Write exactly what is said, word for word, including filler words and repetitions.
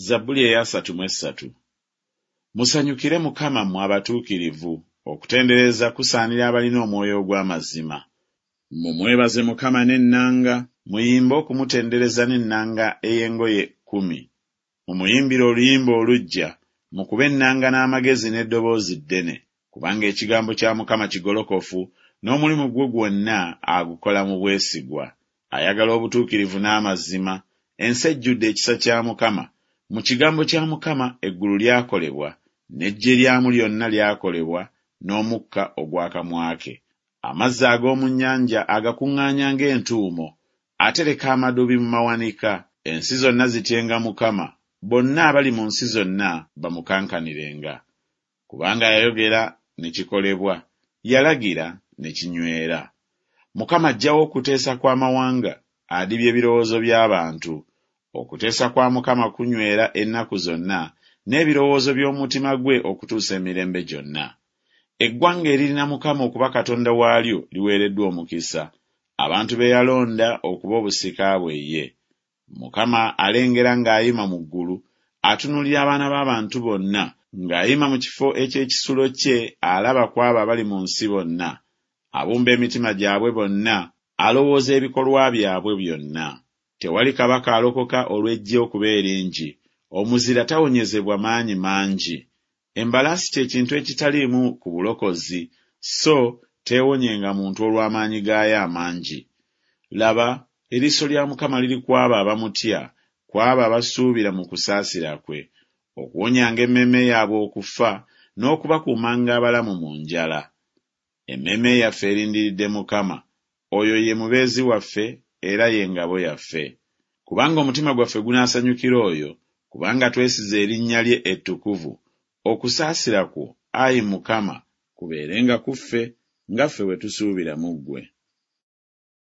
Zabbuli ey'asatu mu essatu. Musanyukire Mukama mmwe abatuukirivu, okutendereza kusaanira abalina omwoyo ogw'amazima. Mumwebaze Mukama n'ennanga, muyimbe okumutendereza n'ennanga ey'engoye kkumi. Mumuyimbire oluyimba oluggya, mukube ennanga n'amagezi n'eddoboozi ddene. Kubanga ekigambo kya Mukama kigolokofu, n'omulimu gwe gwonna agukola mu bwesigwa. Ayagala obutuukirivu n'amazima, ensi ejjudde ekisa kya Mukama. Mu kigambo kya Mukama eggulu lyakolebwa, n'eggye lyamu lyonna lyakolebwa n'omukka ogw'akamwa ke. Amazzi ag'omu nnyanja agakuŋŋaanya ng'entuumo, atereka amadubi mu mawanika. Ensi zonna zityenga Mukama, bonna abali mu nsi zonna bamukankanirenga. Kubanga yayogera ne kikolebwa, yalagira ne kinywera. Mukama aggyawo okuteesa kw'amawanga, adibya ebirowoozo by'abantu. Okuteesa kwa Mukama kunywera ennaku zonna, n'ebirowoozo by'omutima gwe okutuusa emirembe gyonna. Eggwanga eririna Mukama okuba Katonda waalyo liweereddwa omukisa, abantu be yalonda okuba obusika bwe ye. Mukama alengera ng'ayima mu ggulu, atunuulira abaana b'abantu bonna, ng'ayima mu kifo eky'ekisulo kye alaba ku abo abali mu nsi bonna. Abumba emitima gyabwe bonna, alowooza ebikolwa byabwe byonna. Tewali kabaka alokoka olw'eggye okuba eringi, omuzira tawonyezebwa maanyi mangi. Embalaasi kye kintu ekitaliimu ku bulokozi, so teewonyenga muntu olw'amaanyi gaayo amangi. Laba, eriiso lya Mukama liri ku abo abamutya, ku abo abasuubira mu kusaasira kwe, okuwonyanga emmeeme yaabwe okufa, n'okubakuumanga abalamu mu njala. Emmeeme yaffe erindiridde Mukama, oyo ye mubeezi waffe era ye ngabo yaffe. Kubanga omutima gwaffe gunaasanyukira oyo, kubanga twesize erinnya lye ettukuvu. Okusaasira kwo, ayi Mukama, kubeerenga ku ffe, nga ffe bwe tusuubira mu ggwe.